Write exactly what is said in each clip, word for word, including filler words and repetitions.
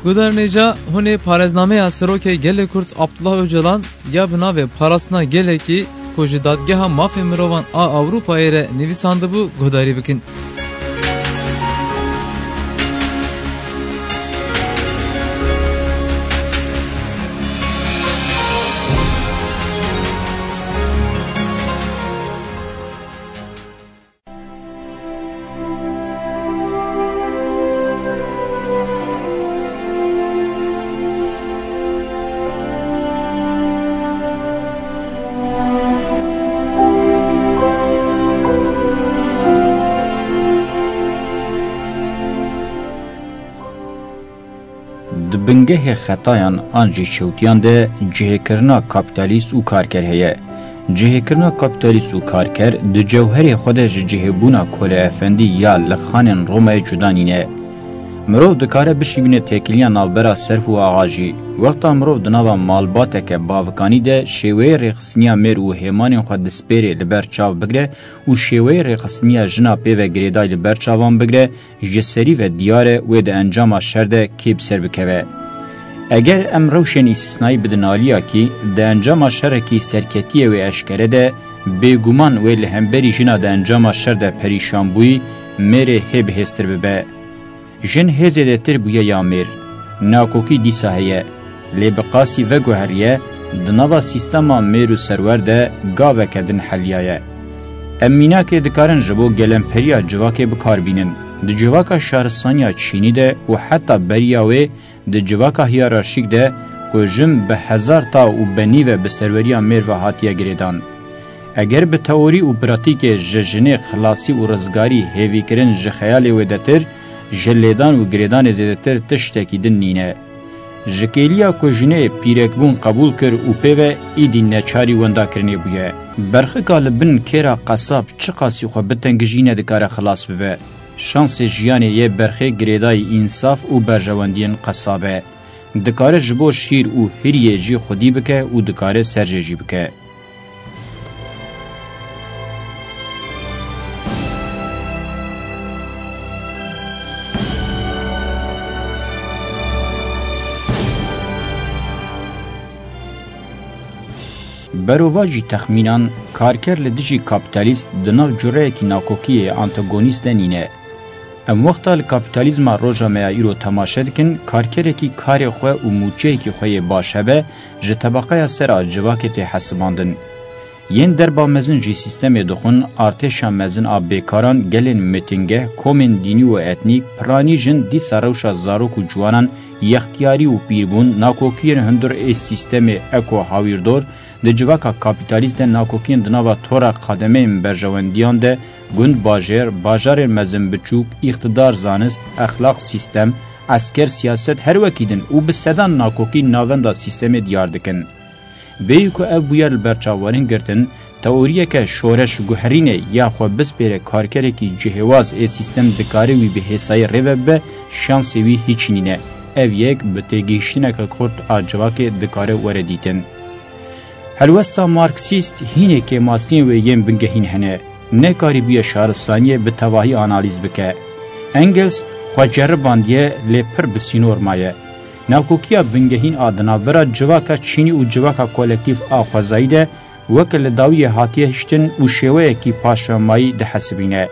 Guhdarên hêja, hûn ê parêznameya Serokê Gelê Kurd Abdullah Ocalan ya bi navê Parastina Gelekî ku ji Dadgeha Mafê Mirovan a Ewropayê re nivîsandibû guhdarî bikin. Di bingehê xetayan an jî çewtiyan de cihêkirina kapîtalîst û karker heye. Cihêkirina kapîtalîst û karker di cewherê xwe de ji cihêbûna koleefendî ya li xanên Romayê cuda nîne. Mirov dikare bişîbîne têkiliya navbera serf û axa jî. Wexta mirov di nava malbateke bavikanî de şêweyê rêxistiniya mêr û hêmanên xwe dispêrê li ber çav bigire û şêweyê rêxistiniya jina pê ve girêdayî li ber çavan bigire, ji serî ve diyar e wê di encama şer de kê bi ser bikeve. Eger em rewşên îstîsnayî bidin aliyakî, di encama şerekî serketiyê wê eşkere de, bêguman wê li hemberî jina di encama şer de perîşanbûyî mêrê hê bihêztir bibe. Jin hê zêdetir bûye ya mêr. Nakokî dîsa heye. Lê bi qasî veguheriye, di nava sîstema mêr û serwer de gaveke din heliyaye. Em mînakê dikarin ji bo gelemperiya civakê bi kar bînin. Di civaka şaristaniya Çînî de û heta beriya wê di civaka hiyerarşîk de ku jin bi hezar ta û benî ve bi serweriya mêr ve hatiye girêdan. Eger bi teorî û pratîkê ji jinê xilasî û rizgarî hêvîkirin ji xeyalê wêdetir, ji lêdan û girêdanê zêdetir tiştekî din nîne. Ji kêliya ku jinê pîrekbûn qebûl kir û pê ve îdî neçarî wendakirinê bûye. Berxika li bin kêra qesab çiqasî xwe bitengijî nedikare xilas bibe. Şansê jiyanê yê berxê girêdayî însaf û berjewendiyên qesab e. Dikare ji bo şîr û hiriyê jî xwedî bike û dikare serjê jî bike. Berovajî texmînan, karker li dijî kapîtalîst di nav cureyekî nakokiyê antagonîst de nîne. Em wexta li kapîtalîzma roja me ya îro temaşe dikin, karkerekî karê xwe û mûçeyekî xwe yê baş hebe, ji tebeqeya ser a civakê tê hesibandin. Yên derba mezin jî sîstemê dixwin, artêşa mezin a bêkaran, gelên mitingeh, komên dînî û etnîk, piranî jin dîsa rewşa zarok û ciwanan yextiyarî û pîrbûn, nakokiyên hundir ê sîstemê eko hawîrdor, di civaka kapîtalîst de nakokiyên di nava tora qademeyên berjewendiyan de, gund, bajêr, bajarên mezin biçûk, îqtidar, zanist, exlaq, sîstem, esker, siyaset her wekî din û bi sedan nakokî navenda sîstemê diyar dikin. Bêyî ku ev bûyer li ber çav werin girtin, teoriyeke şoreş guherînê ya xwe bispêre karkerekî cihêwaz ê sîstem dikare wî bi hêsayî rê ve bibe, şansê wî hîç nîne. Ev yek bi têgihiştineke kurt a civakê dikare were dîtin. Helwesta Marksîst hînê kêmasiyên wê yên bingehîn hene. Nekarîbûye şaristaniyê bi tevahî analîz bike. Engels xwe ceribandiye, lê pir bi sînor maye. Nakokiya bingehîn a di navbera civaka çînî û civaka kolektîf a xwezayî de weke li dawiyê hatiye hiştin û şêweyekî paşvemayî dihesibîne.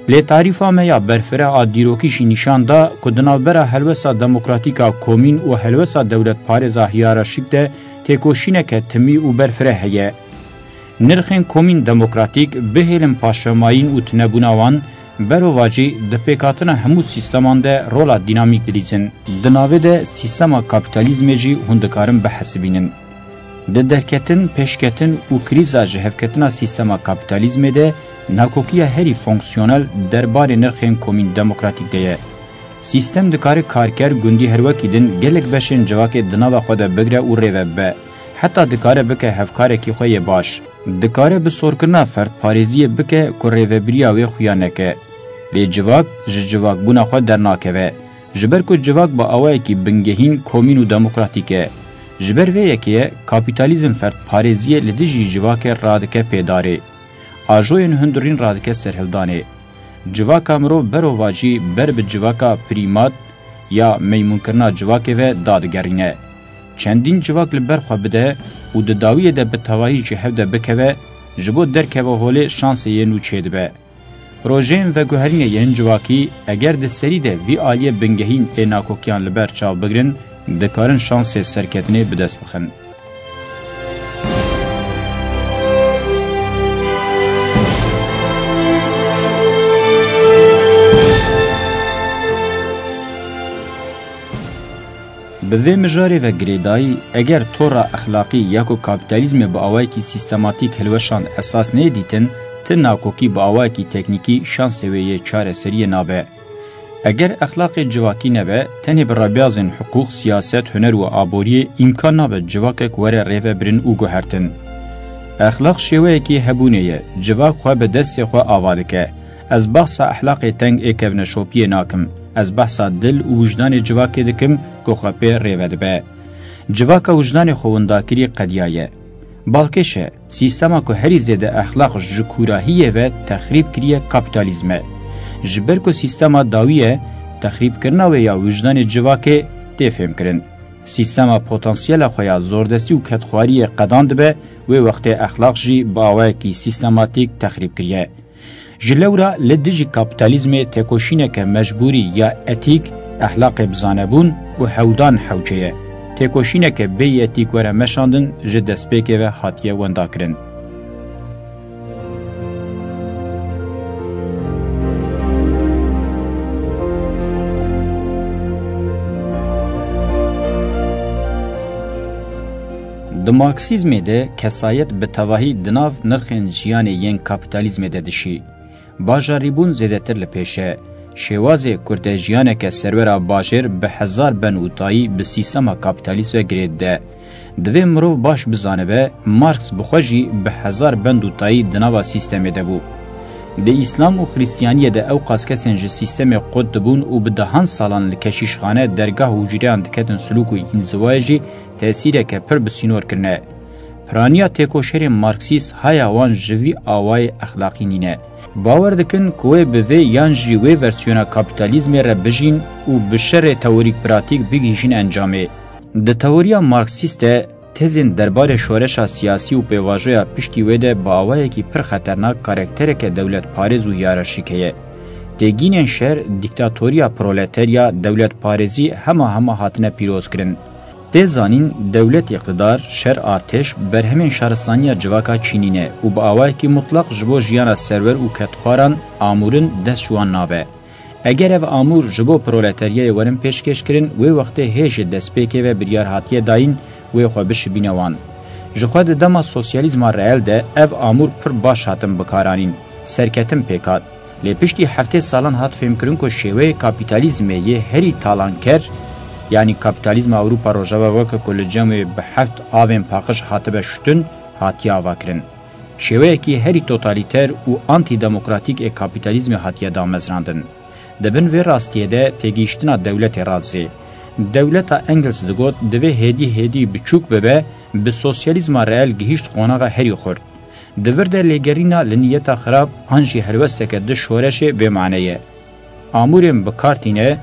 Lê tarîfa me ya berfireh a dîrokî jî nîşan da ku di navbera helwesta demokratîk a komîn û helwesta dewletparêz a hiyerarşîk de têkoşîneke timî û berfireh heye. Nirxên komîn demokratîk bihêlin paşvemayîn û tunebûna wan, berovajî di pêkhatina hemû sîsteman de rola dînamîk dilîzin. Di navê de sîstema kapîtalîzmê jî hûn dikarin bihesibînin. Di derketin, pêşketin û krîza ji hevketina sîstema kapîtalîzmê de nakokiya herî fonksiyonel derbarê nirxên komîn demokratîk de ye. Sîstem dikare karker, gundî her wekî din gelek beşên civakê di nava xwe de bigre û rê ve bibe. Heta dikare bike hevkarekî xwe yê baş. Dikare bi sorkirina ferdparêziyê bike ku rêvebiriya wê xuya neke. Lê civak ji civakbûna xwe dernakeve. Ji ber ku civak bi awayekî bingehîn komîn û demokratîk e. Ji ber vê yekê ye kapîtalîzm ferdparêziyê li dijî civakê radike pêdarê. Ajoyên hundirîn radike serhildanê. Civaka mirov berovajî ber bi civaka prîmat, ya meymûnkirina civakê ve dadigerîne. Çendîn civak li ber xwe bide û di dawiyê de bi tevahî ji hev de bikeve, ji bo derkeve holê şansê yê nû çêdibe. Projeyên veguherînê yên civakî, eger di serî de vî aliyê bingehîn ê nakokiyan li ber çav bigrin, dikarin şansê serketinê bi dest bixin. Bi vê mijarê ve girêdayî, eger tora exlaqî ya ku kapîtalîzmê bi awayekî sîstematîk hilweşand esas neyê dîtin, ti nakokî bi awayekî teknîkî şansê wê yê çareseriyê nabe. Eger exlaqê civakî nebe, tenê bi rebiyazên hiqûq, siyaset, huner û aboriyê îmkan nabe civakek were rêvebirin û guhertin. Exlaq şêweyekî hebûnê ye, civak xwe bi destê xwe ava dike. Ez behsa exlaqê teng ê kevneşopiyê nakim. Ez behsa dil û wijdanê civakê dikim ku xwe pê rêve dibe. Civaka wijdanê xwe windakirî qediyaye. Balkêş e, sîstema ku herî zêde exlaq ji kûrahiyê ve texrîb kiriye kapîtalîzm e. Ji ber ku sîstema dawî ye, texrîbkirina wê ya wijdanê civakê tê fêmkirin. Sîstema potansiyela xwe ya zordestî û kedxwariyê qedan dibe, wê wextê exlaq jî bi awayekî sîstematîk texrîb kiriye. Ji lewra li dijî kapîtalîzmê têkoşîneke mecbûrî ya etîk, exlaqê bizanebûn û hewldan hewce ye. Têkoşîneke bêyî etîk were meşandin ji destpêkê ve hatiye wendakirin. Di Marksîzmê de kesayet bi tevahî di nav nirxên jiyanê yên kapîtalîzmê de dişî. Bajarîbûn zêdetir li pêş e. Şêwazê ku te jiyaneke serwera bajêr bi hezar bend û tayî bi sîstema kapîtalîst ve girê dide. Divê mirov baş bizanibe, Marx bi xwe jî bi hezar bend û tayî di nava sîstemê de bû. Di Îslam û Xristiyaniyê de ewqas kesên ji sîstemê qut dibûn û bi dehan salan li keşîşxane, dergah û hûcreyan diketin silûk û înzivayê jî tesîreke pir bi sînor kirine. Piraniya têkoşerên Marksîst haya wan ji vî awayê exlaqî nîne. Bawer dikin ku wê bi vê yan jî wê versiyona kapîtalîzmê re bijîn û bi şerê teorîk-pratîk bigihîjin encamê. Di teoriya Marksîst de tezên derbarê şoreşa siyasî û pêvajoya piştî wê de bi awayekî pir xeternak karaktereke dewletparêz û hiyerarşîk heye. Têgînên şer, dîktatoriya proleterya, dewletparêzî hema hema hatine pîrozkirin. Tê zanîn, dewlet, îqtidar, şer, artêş, berhemên şaristaniya civaka çînîne û bi awayekî mutlaq ji bo jiyana serwer û kedxwaran amûrin dest ji wan nabe. Eger ev amûr ji bo proleteryayê werin pêşkêşkirin, wê wextê hê ji destpêkê ve biryar hatiye dayîn, wê xwe bişibîne wan. Ji xwe di dema sosyalîzma reel de ev amûr pir baş hatin bikaranîn, serketin pêk hat. Lê piştî heftê salan hat fêmkirin ku şêweyê kapîtalîzmê yê herî talanker, yanî kapîtalîzma Ewropa Rojava weke ku li cem wê bi heft avên paqij hatibe şutin, hatiye avakirin. Şêweyekî herî totalîter û antîdemokratîk ê kapîtalîzmê hatiye damezrandin. Di bin vê rastiyê de têgihiştina dewletê radizê. Dewleta Engels digot, divê hêdî hêdî biçûk bibe, bi sosyalîzma reel gihîşt qonaxa herî xurt. Di vir de lêgerîna li niyeta xirab an jî helwesteke di şoreşê bê mane ye. Amûrên bi kar tîne,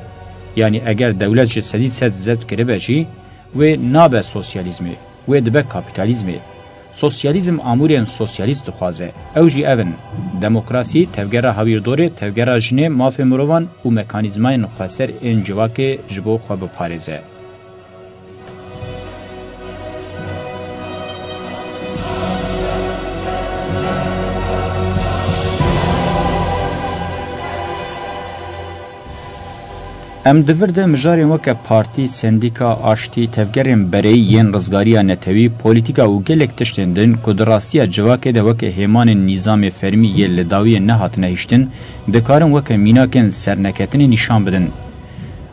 yanî eger dewlet ji sedî sed zeft kiribe jî, wê nabe sosyalîzmê, wê dibe kapîtalîzmê. Sosyalîzm amûrên sosyalîst dixwaze. Ew jî ev in: demokrasî, tevgera hawîrdorê, tevgera jinê, mafê mirovan û mekanîzmayên xweser ên civakê ji bo xwe biparêze. Em di vir de mijarên weke partî, sendîka, aştî, tevgerên bereyî yên rizgariya netewî, polîtîka û gelek tiştên din ku di rastiya civakê de weke hêmanên nîzamê fermî yê li dawiyê nehatine hiştin, dikarin weke mînakên serneketinê nîşan bidin.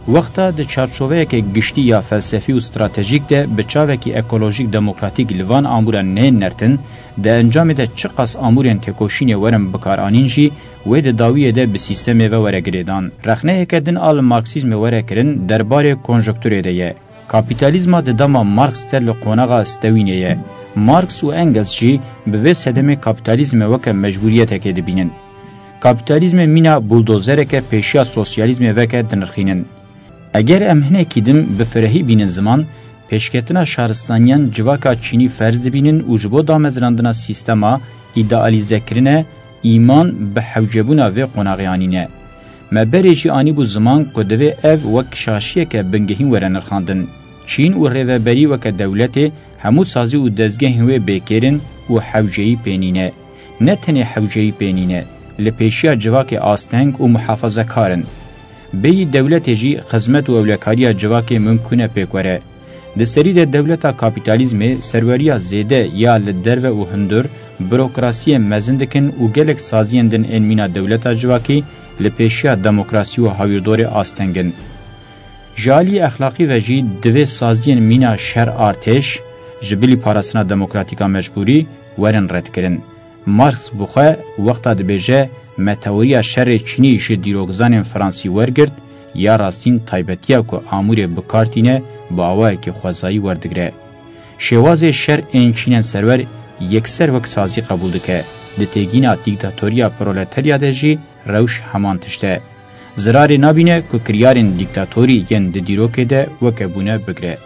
Wexta di çarçoveyeke giştî ya felsefî û stratejîk de bi çavekî ekolojîk demokratîk li van amûran neyên nertin, di encamê de çiqas amûrên têkoşînê werin bikaranîn jî, wê di dawiyê de bi sîstemê ve were girêdan. Rexneyeke din a li Marksîzmê were kirin, derbarê konjonkturê de ye. Kapîtalîzma di dema Marx ser li qonaxa stewînê ye. Marx û Engels jî bi vê sedemê kapîtalîzmê weke mecbûriyetekê dibînin. Kapîtalîzmê mîna buldozereke pêşiya sosyalîzmê veke dinirxînin. Eger em hinekî din bi firehî bînin ziman, pêşketina şaristaniyan civaka çînî ferz dibînin û ji bo damezrandina sîstema îdealîzekirine îman bi hewcebûna vê qonaxê anîne. Me berê jî anîbû ziman ku divê ev wek şaşiyeke bingehîn were nirxandin. Çîn û rêveberî weke dewletê hemû sazî û dezgehên wê bêkêr in û hewceyî pê nîne. Ne tenê hewceyî pê nîne, li pêşiya civakê asteng û muhafazekar in. Bêyî dewletê jî xizmet û ewlekariya civakê mimkûn e pêk were. Di serî de dewleta kapîtalîzmê serweriya zêde ya li derve û hundir, burokrasiyê mezin dikin û gelek saziyên din ên mîna dewleta civakî li pêşiya demokrasî û hawîrdorê asteng in. Ji aliyê exlaqî ve jî divê saziyên mîna şer artêş, ji bilî parastina demokratîka mecbûrî, werin redkirin. Marx bi xwe wexta dibêje, me teoriya şerê çînî ji dîrokzanên fransî wergirt, ya rastîn taybetiya ku amûrê bi kar tîne, bi awayekî xwezayî werdigire. Şêwazê şer ên çînên serwer yekser wek sazî qebûl dike. Di têgîna dîktatoriya proleterya de jî rewş heman tişt e. Zirarê nabîne ku kiryarên dîktatorî yên di dîrokê de weke bûne bigire.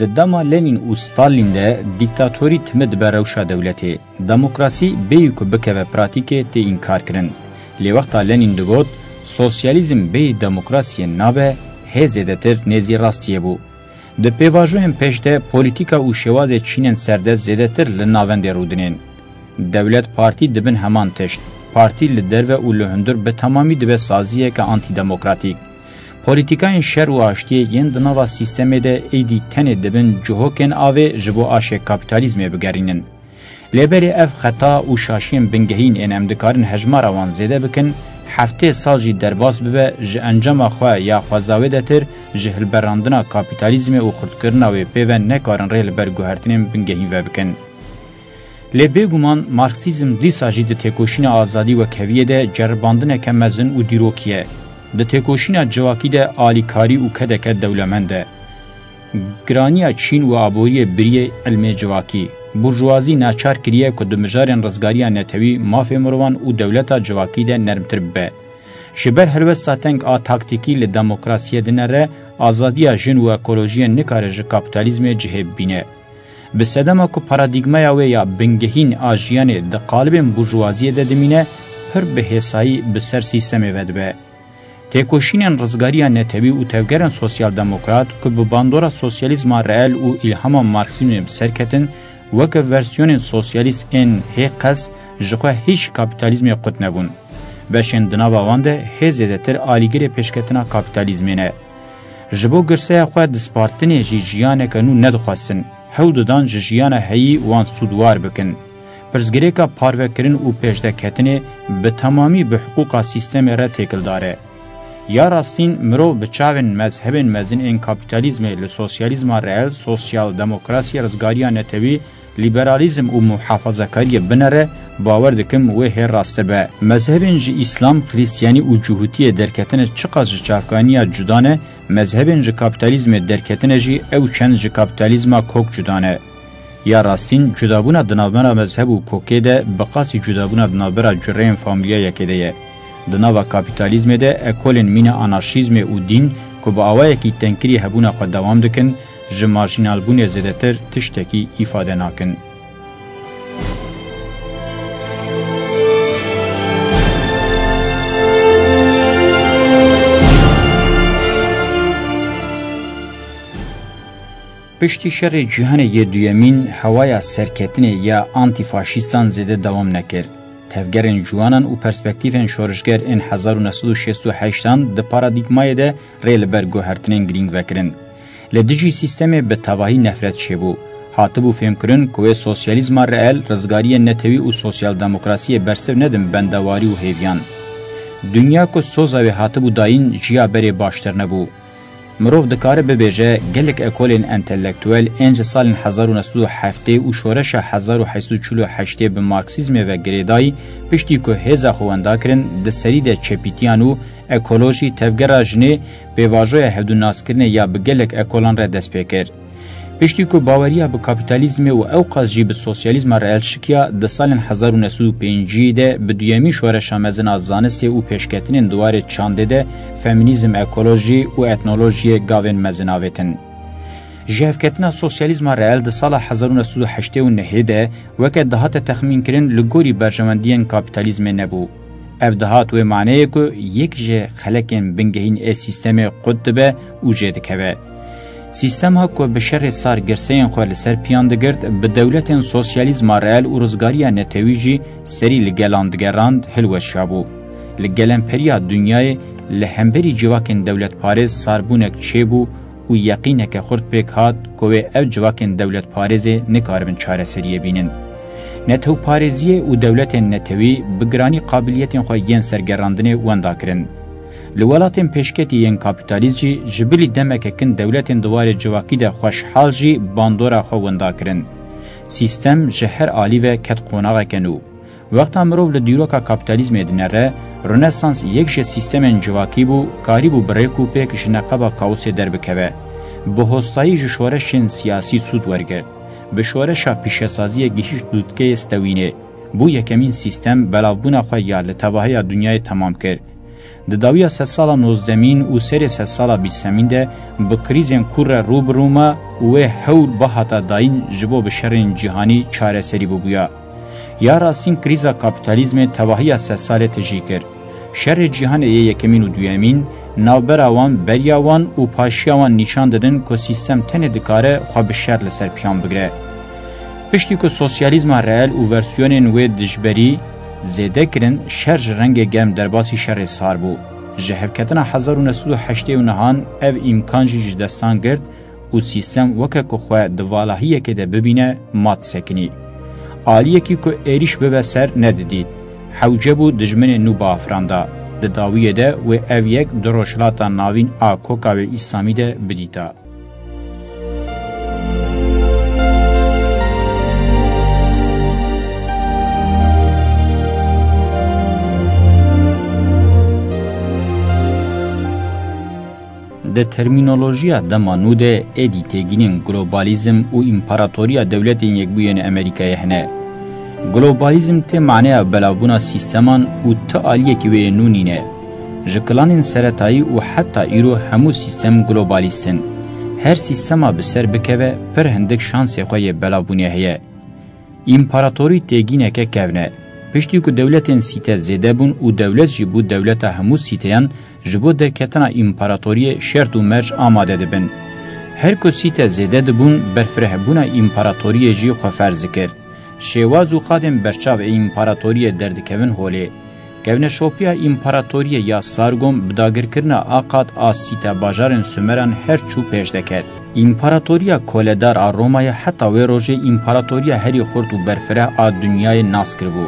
Di dema Lenîn û Stalîn de dîktatorî timi dibe rewşa dewletê. Demokrasî bêyî ku bikeve pratîkê tê înkarkirin. Lê wexta Lenîn digot, sosyalîzm bêyî demokrasiyê nabe, hê zêdetir nêzî rastiyê bû. Di pêvajoyên pêş de polîtîka û şêwazê çînên serde zêdetir li navendê rûdinên. Dewlet partî dibin heman tişt. Partî li derve û li hundir bi temamî dibe saziyeke antîdemokratîk. Polîtîkayên şer û aştiyê yên di nava sîstemê de êdî tenê dibin cihokên avê ji bo aşê kapîtalîzmê bigerînin. Lê berê ev xeta û şaşiyên bingehîn ên em dikarin hejmara wan zêde bikin, heftê sal jî derbas bibe, ji encama xwe ya xweza wêdetir, ji hilberandina kapîtalîzmê û xurtkirina wê pê ve nekarin rê li ber guhertinên bingehîn vebikin. Lê bêguman Marksîzm dîsa jî di têkoşîna azadî wekheviyê de ceribandineke mezin û dîrokî ye. Di têkoşîna civakî de alîkarî û kedeke dewlemend e. Giraniya çîn û aboriyê biriyê ilmê civakî, burjuwazî naçar kiriye ku di mijarên rizgariya netewî, mafê mirovan û dewleta civakî de nermtir bibe. Ji ber helwesta teng a taktîkî li demokrasiyê dinere, azadiya jin û ekolojiyê nikare ji kapîtalîzmê cihê bibîne. Bi sedema ku paradîgmaya wê ya bingehîn a jiyanê di qalibên burjuwaziyê de dimîne, pir bi hêsayî bi ser sîstemê ve dibe. Têkoşînên rizgariya netewî û tevgerên sosyal-demokrat ku bi bandora sosyalîzma reel û îlhama marksîzmê bi ser ketin, weke versiyonên sosyalîst ên hê qels ji xwe hîç kapîtalîzmê qut nebûn. Beşên di nava wan de hê zêdetir alîgirê pêşketina kapîtalîzmê ne. Ji bo girseya xwe dispartinê jî jiyaneke nû nedixwestin, hewl didan ji jiyana heyî wan sûdwar bikin. Pirsgirêka parvekirin û pêşdeketinê bi temamî bi hiqûqa sîstemê re têkildar e. Ya rastîn, mirov bi çavên mezhebên mezin ên kapîtalîzmê li sosyalîzma reel, sosyal-demokrasiyê, rizgariya netewî, lîberalîzm û muhafazakariyê binere, bawer dikim wê hê rast be. Mezhebên ji Îslam, Xristiyanî û Cihûtiyê derketine çiqas ji çavkaniya cuda ne, mezhebên ji kapîtalîzmê derketine jî ew çend ji kapîtalîzma kok cuda ne. Ya rastîn, cudabûna di navbera mezheb û kokê de bi qasî cudabûna di navbera cureyên famîlya yekê de ye. Di nava kapîtalîzmê de ekolên mîna anarşîzmê û dîn ku bi awayekî tengkirî hebûna xwe dewam dikin, ji marjînalbûnê zêdetir tiştekî îfade nakin. Piştî Şerê Cîhanê yê Duyemîn, hewaya serketinê ya antîfaşîstan zêde dewam nekir. Tevgerên ciwanan û perspektîfên şorişger ên hezar û neh sed û şêst û heştan di paradîgmayê de rê li ber guhertinên girîng vekirin. Li dijî sîstemê bi tevahî nefret çêbû. Hatibû fêmkirin ku wê sosyalîzma reel, rizgariyên netewî û sosyal-demokrasiyê bersiv nedin bendewarî û hêviyan. Dinya ku soza wê hatibû dayîn, ji ya berê baştir nebû. Mirov dikare bibêje, gelek ekolên entelektuel ên ji salên hezar û neh sed û heftê û şoreşa hezar û heşt sed û çil û heştê bi Marksîzmê ve girêdayî, piştî ku hêza xwe wenda kirin, di serî de çepîtiyan û ekolojî, tevgera jinê, pêvajoya hevdûnaskirinê ya bi gelek ekolan re dest pê kir. Piştî ku baweriya bi kapîtalîzmê û ewqas jî bi sosyalîzma reel şikiya, di salên hezar û neh sed û pêncî de bi duyemîn şoreşa mezin a zanistê û pêşketinên di warê çandê de femînîzm, ekolojî û etnolojiyê gavên mezin avêtin. Jihevketina sosyalîzma reel di sala hezar û neh sed û heştê û nehê de weke dihate texmînkirin li gorî berjewendiyên kapîtalîzmê nebû. Ev dihat wê maneyê ku yek ji xelekên bingehîn ê sîstemê qut dibe û jê dikeve. Sîstema ku bi şerê sar girseyên xwe li ser piyan digirt, bi dewletên sosyalîzma reel û rizgariya netewî jî serî li gelan digerand, hilweşiyabû. Li gelemperîya dinyayê li hemberî civakên dewletparêz sarbûnek çêbû û yeqîneke xurt pêk hat ku wê ev civakên dewletparêzê nikaribin çareseriyê bînin. Netewparêziyê û dewletên netewî bi giranî qabiliyetên xwe yên sergerandinê wenda kirin. Li welatên pêşketî yên kapîtalîst jî ji bilî demeke kin dewletên di warê civakî de xweşhal jî bandora xwe wenda kirin. Sîstem ji her alî ve ket qonaxeke nû. Wexta mirov li dîroka kapîtalîzmê dinere, Rönesans yek ji sîstemên civakî bû, karîbû bi rêk û pêk ji neqeba kaosê derbikeve. Bi hostayî ji şoreşên siyasî sûd wergirt. Bi şoreşa pîşesaziyê gihîşt lûtkeyê stewînê. Bû yekemîn sîstem belavbûna xwe ya li tevahiya dinyayê temam kir. Di dawiya sedsala nozdemîn û serê sedsala bîstemîn de bi krîzên kûr re rû bi rû ma û wê hewr bihata dayîn ji bo bi şerên cîhanî çareserî bibûya. Ya rastîn krîza kapîtalîzmê tevahiya sedsalê tijî kir. Şerê cîhanê yê yekemîn û duyemîn, navbera wan, beriya wan û paşiya wan nîşan didin ku sîstem tenê dikare xwe bi şer li ser piyan bigire. Piştî ku sosyalîzma reel û versiyonên wê dijberî zêde kirin, şer ji rengê germ derbasî şerê sar bû. Ji hevketina hezar û neh sed û heştê û nehan ev îmkan jî ji destan girt û sîstem weke ku xwe di valahiyekê de bibîne, ma disekinî. Aliyekî ku êrîş bibe ser nedidît. Hewce bû dijminê nû biafiranda. Di dawiyê de wê ev yek di Rojhilata Navîn a koka wê Îslamî de bidîta. Di termînolojiya dema nû de êdî têgînên globalizm û împaratoriya dewletên Yekbûyên Amerîkayê hene. Globalizm tê maneya belavbûna sîsteman û ti aliyekî wê yê nû nîne. Ji kilanên seretayî û heta îro hemû sîstem globalîst in. Her sîstema bi ser bikeve, pir hindik şansê xwe yê belavbûnê heye. Împaratorî têgîneke kevn e. Piştî ku dewletên sîte zêde bûn û dewlet jî bû dewleta hemû sîteyan, ji bo derketina împaratoriyê şert û merc amade dibin. Her ku sîte zêde dibûn, berfirehbûna împaratoriyê jî xwe ferz dikir. Şêwaz û qadên berçav ê împaratoriyê derdikevin holê. Kevneşopiya împaratoriyê ya Sargon bi dagirkirina a qad a sîte bajarên Sumeran her çû pêş deket. Împaratoriya koledar a Romayê heta wê rojê împaratoriya herî xurt û berfireh a dinyayê nas kiribû.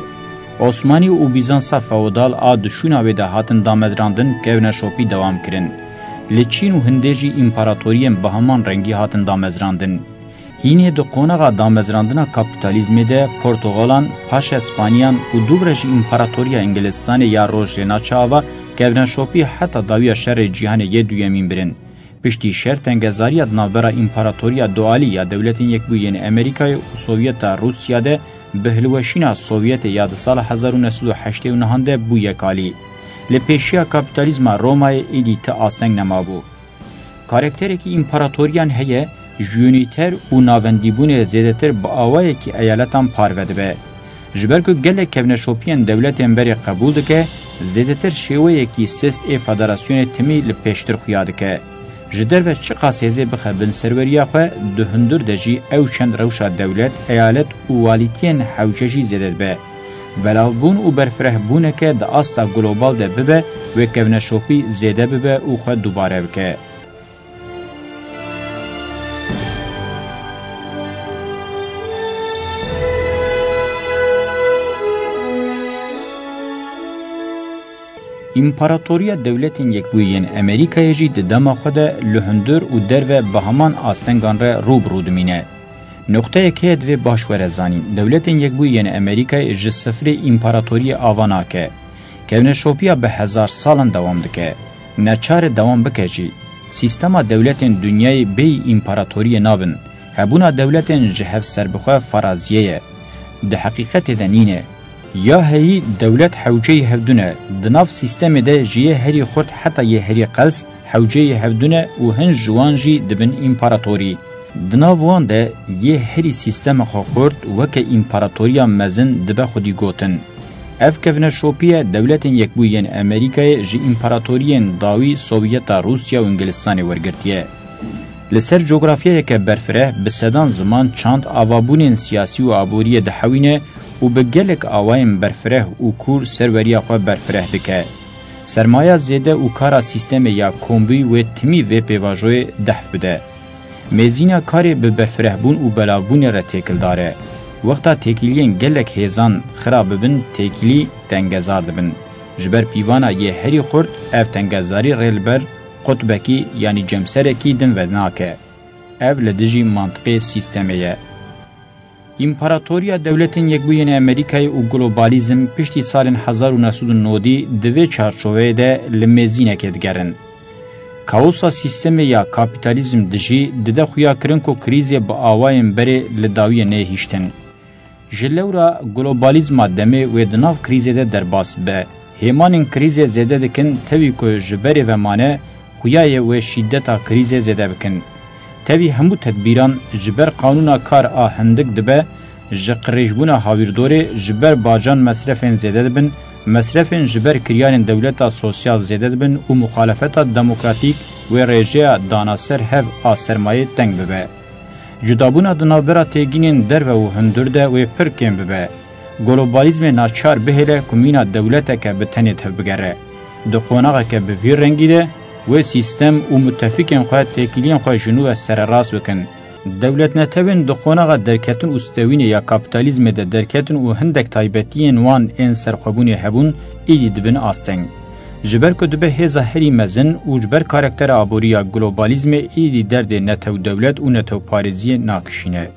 Osmanî û Bîzansa feodal a di şûna wê de hatin damezrandin, kevneşopî dewam kirin. Li Çîn û Hindê jî împaratoriyên bi heman rengî hatin damezrandin. Hînê di qonaxa damezrandina kapîtalîzmê de Portugalan, paşa Spaniyan û dûvre jî Împaratoriya Îngilistanê ya Rojhênaça ava kevneşopî heta dawiya Şerê Cîhanê yê Duyemîn birin. Piştî şer tengezariya di navbera Împaratoriya Dualî ya Dewletên Yekbûyî yên Amerîkayê û Sovyeta Rûsya de bi hilweşîna Sovyetê ya di sala hezar û neh sed û heştê û nehan de bû yekalî. Li pêşiya kapîtalîzma Romayê êdî ti asteng nemabû. Karakterekî împaratoriyan heye, ji unîter û navendîbûnê zêdetir bi awayekî eyaletan parve dibe. Ji ber ku gelek kevneşopiyên dewletên berê qebûl dike, zêdetir şêweyekî sist ê federasyonê timî li pêştir xuya dike. Ji derve çiqas hêzê bixe bin serweriya xwe, di hundir de jî ew çend rewşa dewlet, eyalet û walîtiyên hewce jî zêde dibe. Belavbûn û berfirehbûneke di asta global de bibe, wê kevneşopî zêde bibe û xwe dubare bike. Împaratoriya Dewletên Yekbûyî yên Amerîkayê jî di dema xwe de li hundir û derve bi heman astengan re rû bi rû dimîne. Noqteyek heye divê baş were zanîn. Dewletên Yekbûyî yên Amerîkayê ji sifrê împaratoriyê ava nake. Kevneşopiya bi hezar salan dewam dike. Neçar e dewam bike jî. Sîstema dewletên dinyayê bêyî împaratoriyê nabin. Hebûna dewletên ji hev serbixwe faraziyê ye. Di heqîqetê de nîne. Ya heyî dewlet hewceyî hevdû ne. Di nav sîstemê de ji yê herî xurt heta yê herî qels hewceyî hevdû ne û hin ji wan jî dibin împaratorî. Di nav wan de yê herî sîstema xwe xurt weke împaratoriya mezin dibe xwedî gotin. Ev kevneşopiye Dewletên Yekbûyî yên Amerîkayê ji împaratoriyên dawî Sovyeta Rûsya û Îngilistanê wergirtiye. Li ser cografyayeke berfireh bi sedan ziman, çand, avabûnên siyasî û aboriyê dihewîne û bi gelek awayên berfireh û kûr serweriya xwe berfireh dike. Sermaya zêde û kara sîstemê ya kombûyî wê timî vê pêvajoyê dehf bide. Mêzîna karê bi berfirehbûn û belavbûnê re têkildar e. Wexta têkiliyên gelek hêzan xira bibin, têkilî tengezar dibin. Ji ber pîvana yê herî xurt, ev tengezarî rê li ber qutbekî, yanî cemserekî din venake. Ev li dijî mantiqê sîstemê ye. Împaratoriya Dewletên Yekbûyî yên Amerîkayê û globalizm piştî salên hezar û neh sed û nodî di vê çarçoveyê de li mêzînekê digerin. Kaosa sîstemê ya kapîtalîzm dijî dide xuyakirin ku krîzê bi awayên berê li dawiyê neyê hiştin. Ji lewra globalizma demê wê di nav krîzê de derbas bibe. Hêmanên krîzê zêde dikin, tevî ku ji berê ve mane, xuya ye wê şîdeta krîzê zêde bikin. Tevî hemû tedbîran ji ber qanûna kar a hindik dibe, ji qirêjbûna hawîrdorê, ji ber bacan mesrefên zêde dibin, mesrefên ji ber kiryarên dewleta sosyal zêde dibin û muxalefeta demokratîk wê rêjeya dana ser hev a sermayê teng bibe. Cudabûna di navbera têgînên derve û hundir de wê pir kêm bibe. Globalizmê naçar bihêle ku mîna dewleteke bi tenê tevbigere. Di qonaxeke bi vî rengî de wê sîstem û mutefîkên xwe têkiliyên xwe ji nû ve sererast bikin. Dewletnetewên di qonaxa derketin û stewînê ya kapîtalîzmê de derketin û hindek taybetiyên wan ên serxwebûnê hebûn, îdî dibin asteng. Ji ber ku dibe hêza herî mezin û ji ber karaktera aborî ya globalizmê, îdî derdê netewdewlet û netewparêziyê nakişîne.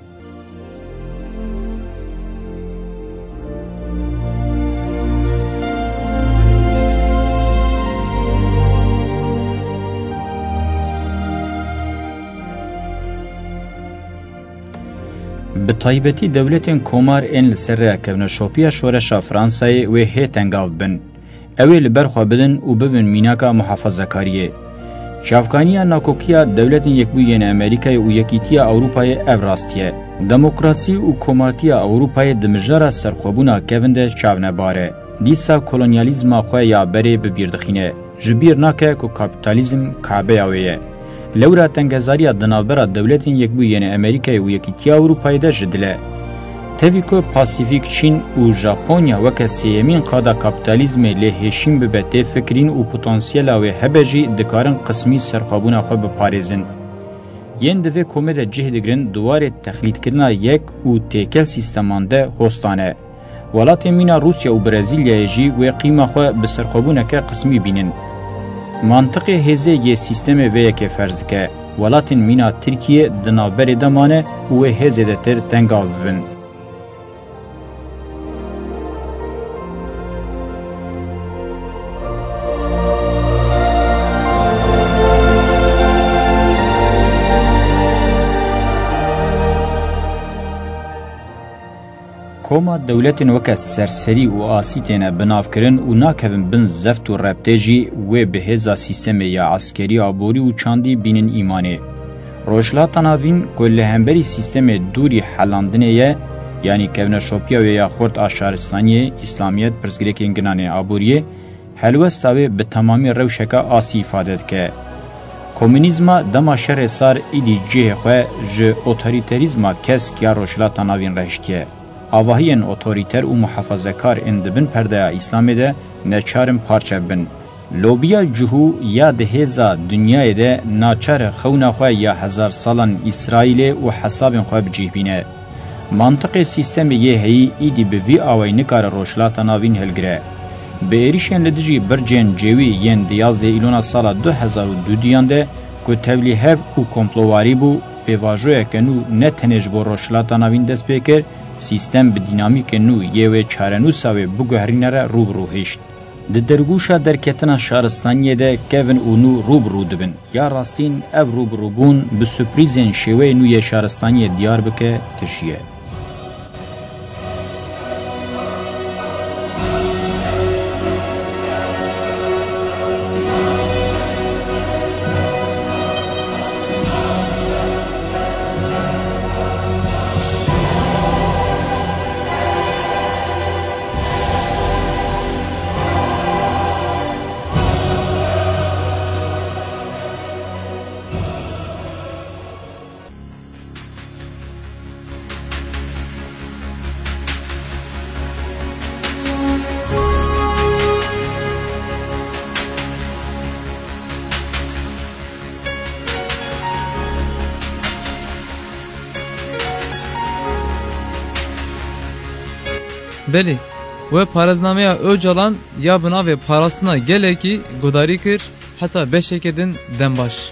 Bi taybetî dewletên komar ên li ser rêya kevneşopiya şoreşa Fransayê wê hê tengav bin. Ew ê li ber xwe bidin û bibin mînaka muhafazakariyê. Çavkaniya nakokiya Dewletên Yekbûyî yên Amerîkayê û Yekîtiya Ewropayê ev rastî ye. Demokrasî û komatiya Ewropayê di mijara serxwebûna kevin de çavnebar e. Dîsa kolonyalîzma xwe ya berê bi bîr dixîne. Ji bîr nake ku kapîtalîzm kabeya wê ye. Lewra tengezariya di navbera Dewletên Yekbûyî yên Amerîkayê û Yekîtiya Ewropayê de ji dil e. Tevî ku Pasîfîk, Çîn û Japonya weke sêyemîn qada kapîtalîzmê lê hêşîn bibe tê fikirîn û potansiyela wê hebe jî dikarin qismî serxwebûna xwe biparêzin. Yên di vê komê de cih digirin di warê texlîdkirina yek û têkel sîsteman de hostan e. Welatên mîna Rûsya û Brezîlyayê jî wê qîma xwe bi serxwebûneke qismî bînin. Mantiqê hêzê yê sîstemê vê yekê ferz dike, welatên mîna Tirkiyê di navberê de mane û wê hê zêdetir tengav bibin. Koma dewletên weke serserî û asî têne binavkirin û nakevin bin zeft û rebtê jî wê bi hêza sîstemê ya eskerî, aborî û çandî bînin îmanê. Rojhilata Navîn ku li hemberî sîstemê dûrî helandinê ye, yanî kevneşopiya wê ya xurt a şaristaniyê, îslamiyet, pirsgirêkên ginan ên aboriyê, helwesta wê bi temamî rewşeke asî îfade dike. Komunîzma dema şerê sar îdî cihê xwe ji otorîterîzma kesk ya Rojhilata Navîn re hiştiye. Avahiyên otorîter û muhafazekar ên di bin perdeya Îslamê de neçar in parçe bibin. Lobiya cihû ya di hêza dinyayê de naçar e xewna xwe ya hezar salan Îsraîlê û hesabên xwe bi cih bîne. Mantiqê sîstemê yê heyî îdî bi vî awayî nikare Rojhilata Navîn hilgire. Bi êrîşên li dijî bircên cêwî yên di yazdeh îlona sala du hezar û dudiyan de ku tevlîhev û komplowarî bû, pêvajoyeke nû ne tenê ji bo Rojhilata Navîn dest pê kir, sîstem bi dînamîkên nû yê wê çarenûsa wê biguherîne re rû bi rû hişt. Di dergûşa derketina şaristaniyê de kevin û nû rû bi rû dibin. Ya rastîn ev rû bi rû bûn bi surprîzên şêweyê nû yê şaristaniyê diyar bike tişiye. Belê, we parêznameya Ocalan ya bi navê Parastina Gelekî guhdarî kir, heta beşeke din dem baş.